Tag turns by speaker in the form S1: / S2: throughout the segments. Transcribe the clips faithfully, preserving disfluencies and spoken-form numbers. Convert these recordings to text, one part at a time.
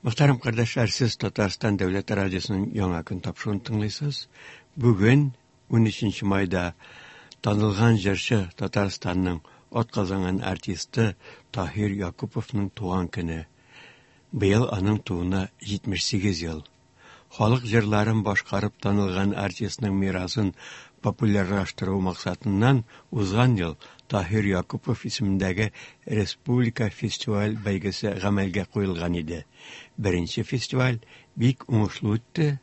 S1: Мөхтәрәм кардәшләр, сез Татарстан Дәүләт радиосының Яңа көн тапшыруын тыңлыйсыз. Бүген унөченче майда танылган җырчы, Татарстанның атказанган артисты Таһир Якуповның туган көне. Быел аның тууына җитмеш сигез ел. Халык җырларын башкарып танылган артистның мирасын популярлаштыру максатыннан узган ел Таһир Якупов исемендәге республика фестиваль бәйгесе гамәлгә куелган иде. Беренче фестиваль бик уңышлы үтте.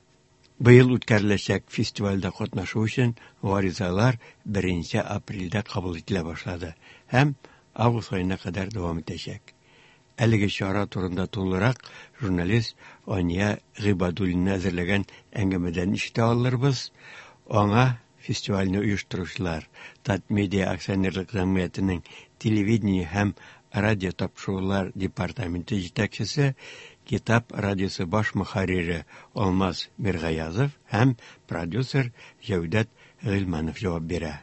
S1: Быел үткәреләчәк фестивальдә катнашу өчен гаризалар беренче апрельдә кабул ителә башлады һәм август аена кадәр дәвам итәчәк. Әлеге чара турында тулырак журналист Ания Гыйбадуллина әзерләгән әңгәмәдән ишетә алырбыз. Аңа фестивальне оештыручылар Татмедиа акционерлык җәмгыятенең телевидение һәм радио тапшырулар департаменты җитәкчесе, Китап радиосы баш мөхәррире Алмаз Миргаязов һәм продюсер Җәүдәт Гыйльманов җавап бирә.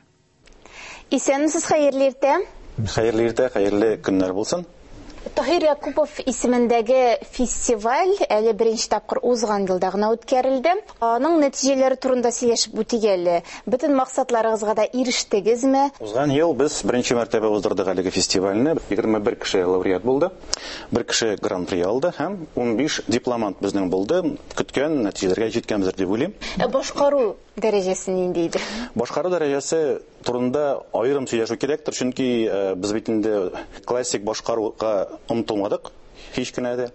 S2: Исәнмесез, хәерле иртә.
S3: Хәерле иртә, хәерле көннәр булсын.
S2: Таһир Якупов исемендәге фестиваль әле беренче тапкыр узган елда гына үткәрелде. Аның нәтиҗәләре турында сөйләшеп үтик әле. Бөтен максатларыгызга да ирештегезме?
S3: Узган ел без беренче мәртәбә уздырдык әлеге фестивальне. Егерме бер кеше лауреат булды, бер кеше гран-при алды һәм унбиш дипломант безнең булды. Көткән нәтиҗәләргә җиткәнбездер дип уйлыйм.
S2: Ә башкару дәрәҗәсе нинди иде?
S3: Башкару дәрәҗәсе турында аерым сөйләшү кирәктер, чөнки, э, без бит инде классик башкаруга омтылмадык һич кенә дә.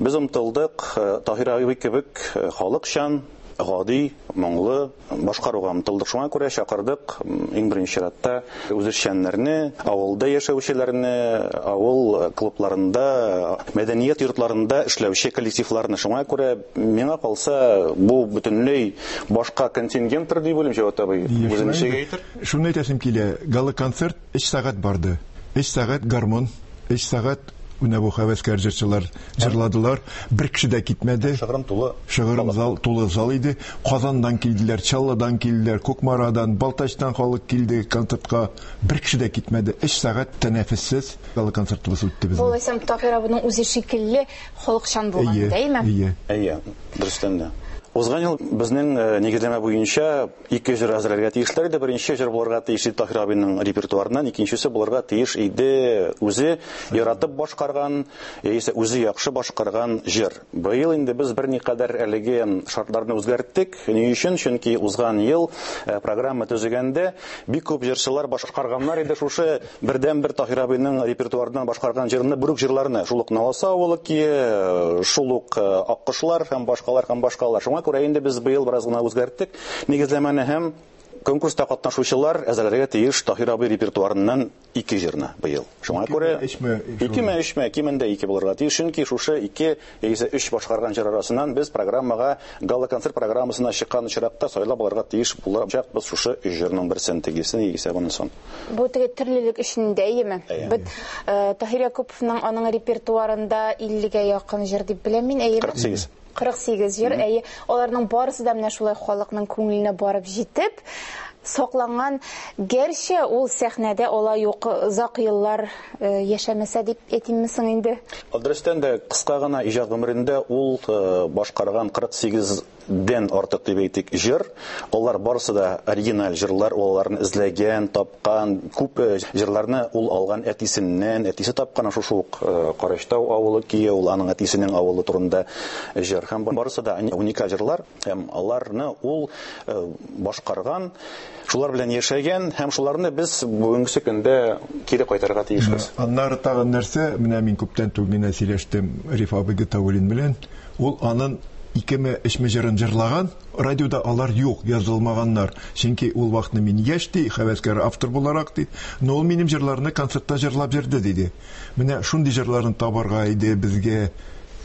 S3: Без омтылдык, э, Таһир абый кебек, э, халыкчан, гади, моңлы башкаруга омтылдык. Шуңа күрә чакырдык, м, иң беренче чиратта үзешчәннәрне, авылда яшәүчеләрне, авыл клубларында, мәдәният йортларында эшләүче коллективларны. Шуңа күрә миңа калса, бу бөтенләй башка контингенттыр дип уйлыйм, Җәүдәт абый.
S4: Яшь
S3: Үзенчә
S4: шулай инде.
S3: әйтер.
S4: Шуны әйтәсем килә, гала-концерт өч сәгать барды. Өч сәгать гармон, өч сәгать менә бу һәвәскәр җырчылар җырладылар. Бер кеше дә китмәде.
S3: Шыгрым тулы.
S4: Шыгрым зал, тулы зал иде. Казаннан килделәр, Чаллыдан килделәр, Кукмарадан, Балтачтан халык килде концертка. Бер кеше дә китмәде. Өч сәгать тәнәфессез гала концертыбыз үтте безнең.
S2: Бу әйтсәм, Таһир абының үзе шикелле халыкчан булган,
S4: Әйе,
S2: әйеме?
S4: әйе.
S3: Әйе, дөрестән дә. Узган ел безнең, э, нигезләмә буенча ике җыр әзерләргә тиешләр иде. Беренче җыр булырга тиеш иде Таһир абының репертуарыннан, икенчесе булырга тиеш иде үзе яратып башкарган, яисә үзе яхшы башкарган җыр. Быел инде без берникадәр әлеге шартларны үзгәрттек. Ни өчен? Чөнки узган ел, э, программа төзегәндә бик күп җырчылар башкарганнар иде шушы бердәнбер Таһир абының репертуарыннан башкарган җырны, бер үк җырларны. Шул ук Наласа авылы көе, шул ук, э, Аккошлар һәм башкалар һәм башкалар. Шуңа күрә инде без быел бераз гына үзгәрттек нигезләмәне һәм конкурста катнашучылар әзерләргә тиеш Таһир абый репертуарыннан ике җырны быел. Шуңа
S4: Икеме,
S3: күрә
S4: өчме,
S3: икеме, өчме, кимендә ике булырга тиеш, чөнки шушы ике яисә өч башкарган җыр арасыннан без программага, гала-концерт программасына чыккан очракта сайлап алырга тиеш булачакбыз шушы өч җырның берсен, тегесен, яисә бунысын.
S2: Бу теге төрлелек өчен дә, әйеме?
S3: Әйе.
S2: Бит, э, Таһир Якуповның аның репертуарында иллегә якын җыр дип беләм мин, әйеме?
S3: Кырык сигез.
S2: Кырык сигез җыр, әйе. Аларның барысы да менә шулай халыкның күңеленә барып җитеп сакланган. Гәрчә ул сәхнәдә алай ук озак еллар, э, яшәмәсә дип әйтимме соң инде?
S3: Дөрестән дә, кыска гына иҗат гомерендә ул, э, башкарган кырык сигездән артык дип әйтик җыр. Алар барысы да оригиналь җырлар, ул аларны эзләгән, тапкан, күп, э, җырларны ул алган әтисеннән, әтисе тапкан шушы ук, э, Карачтау авылы көе, ул аның әтисенең авылы турында җыр. Һәм барысы да уникаль җырлар, һәм аларны ул, э, башкарган, шулар белән яшәгән һәм шуларны без бүгенге көндә кире кайтарырга тиешбез.
S4: Аннары тагын нәрсә, менә мин күптән түгел генә сөйләштем Риф абый Гатауллин белән. Ул аның икеме, өчме җырын җырлаган, радиода алар юк, язылмаганнар. Чөнки ул вакытны мин яшь ди, һәвәскәр автор буларак ди, но ул минем җырларны концертта җырлап йөрде диде. Менә шундый җырларын табарга иде безгә,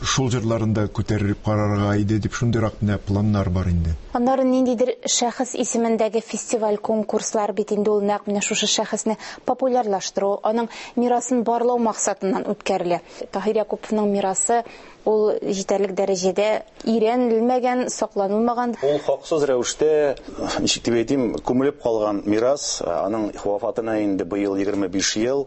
S4: шул җырларын да күтәреп карарга иде дип шундыйрак менә планнар бар инде.
S2: Аннары ниндидер шәхес исемендәге фестиваль, конкурслар бит инде ул нәкъ менә шушы шәхесне популярлаштыру, аның мирасын барлау максатыннан үткәрелә. Таһир Якуповның мирасы ул җитәрлек дәрәҗәдә өйрәнелмәгән, сакланылмаган.
S3: Ул хаксыз рәвештә, ничек дип әйтим, күмелеп калган мирас, аның вафатына инде быел егерме биш ел.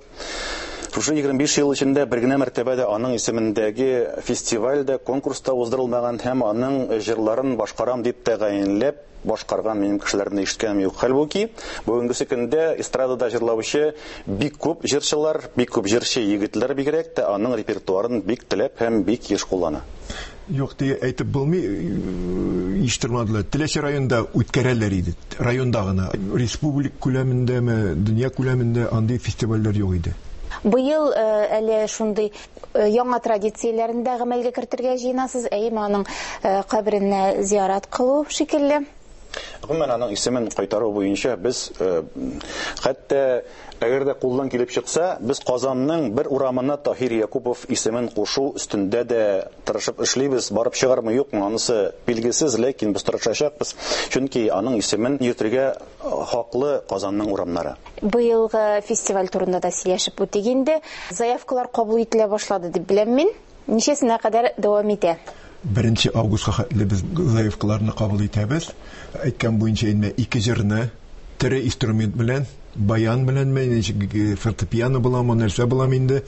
S3: Шушы егерме биш ел эчендә бер генә мәртәбә дә аның исемендәге фестиваль дә, конкурс та уздырылмаган һәм аның җырларын башкарам дип тәгаенләп башкарган минем кешеләрне ишеткәнем юк. Хәлбуки, бүгенге көндә эстрадада җырлаучы бик күп җырчылар, бик күп җырчы егетләр бигрәк тә аның репертуарын бик теләп һәм бик еш куллана.
S4: Юк диye әйтеп булмый, ишеттермәделәр. Теләче районында үткәрәләр иде. Районда гына. Республика күләмендәме, дөнья күләмендә андый фестивальләр юк иде.
S2: Быел әле шундый яңа традицияләрен дә гамәлгә кертергә җыенасыз, әйеме, аның каберенә зиярат кылу шикелле.
S3: Гомумән, аның исемен кайтару буенча без, хәтта әгәр дә кулдан килеп чыкса, без Казанның бер урамына Таһир Якупов исемен кушу өстендә дә тырышып эшлибез. Барып чыгармы, юкмы, анысы билгесез, ләкин без тырышачакбыз, чөнки аның исемен йөртергә хаклы Казанның урамнары.
S2: Быелгы фестиваль турында да сөйләшеп үтик инде. Заявкалар кабул ителә башлады дип беләм мин. Ничәсенә кадәр дәвам итә?
S4: Беренче августка хәтле без заявкаларны кабул итәбез. Әйткән буенча инде ике җырны тере инструмент белән, баян белән, ничек фортепиано буламы, нәрсә буламы инде,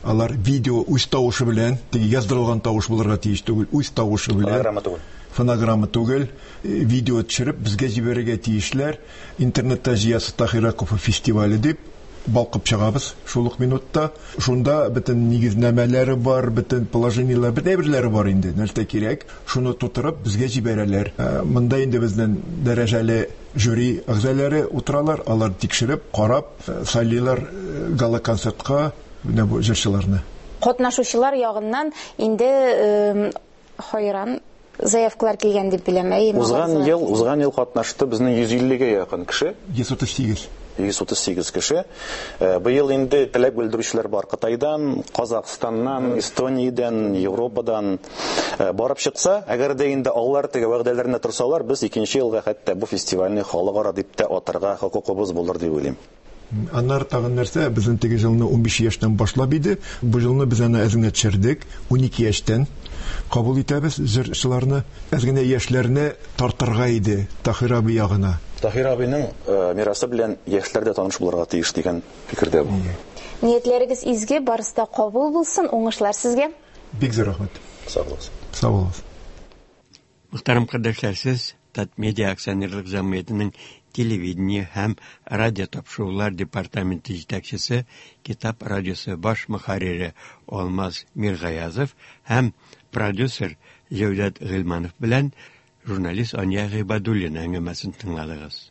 S4: алар видео үз тавышы белән, теге яздырылган тавыш булырга тиеш түгел, үз тавышы белән.
S3: Фонограмма түгел.
S4: Фонограмма түгел, видео төшереп безгә җибәрергә тиешләр. Интернетта җыясы Таһир Якупов фестивале дип балкып чыгабыз шул ук минутта. Шунда бөтен нигезнамәләре бар, бөтен положениеләр, бөтен әйберләре бар инде. Нәрсә кирәк, шуны тутырып безгә җибәрәләр. Монда инде безнең дәрәҗәле жюри әгъзалары утыралар, алар тикшереп, карап, сайлыйлар гала-концертка менә бу җырчыларны.
S2: Катнашучылар ягыннан инде хайран заявкалар килгән дип беләм. Әй,
S3: Узган ел, узган ел катнашты безнең йөз иллегә якын кеше.
S4: Йөз утыз сигез.
S3: Йөз утыз сигез кеше. Быел инде теләк белдерүчеләр бар Кытайдан, Казахстаннан, Эстониядән, Европадан. Барып чыкса, әгәр дә инде алар теге вәгъдәләренә торсалар, без икенче елга хәтта бу фестивальне халыкара дип тә атарга хокукыбыз булыр дип уйлыйм.
S4: Аннары тагын нәрсә, безнең теге елны унбиш яшьтән башлап иде. Бу елны без аны әз генә төшердек, унике яшьтән кабул итәбез җырчыларны. Әз генә яшьләрне тартырга иде Таһир абый ягына.
S3: Таһир абыйның мирасы белән яшьләр дә таныш булырга тиеш дигән фикердә бу.
S2: Ниятләрегез изге, барысы да кабул булсын, уңышлар сезгә.
S4: Бик зур рәхмәт.
S3: Сау булыгыз.
S4: Сау булыгыз.
S1: Мөхтәрәм кардәшләр, сез Татмедиа акционерлык җәмгыятенең телевидение һәм радио тапшырулар департаменты җитәкчесе, Китап радиосы баш мөхәррире Алмаз Миргаязов һәм продюсер Җәүдәт Гыйльманов белән журналист Ания Гыйбадуллина әңгәмәсен тыңладыгыз.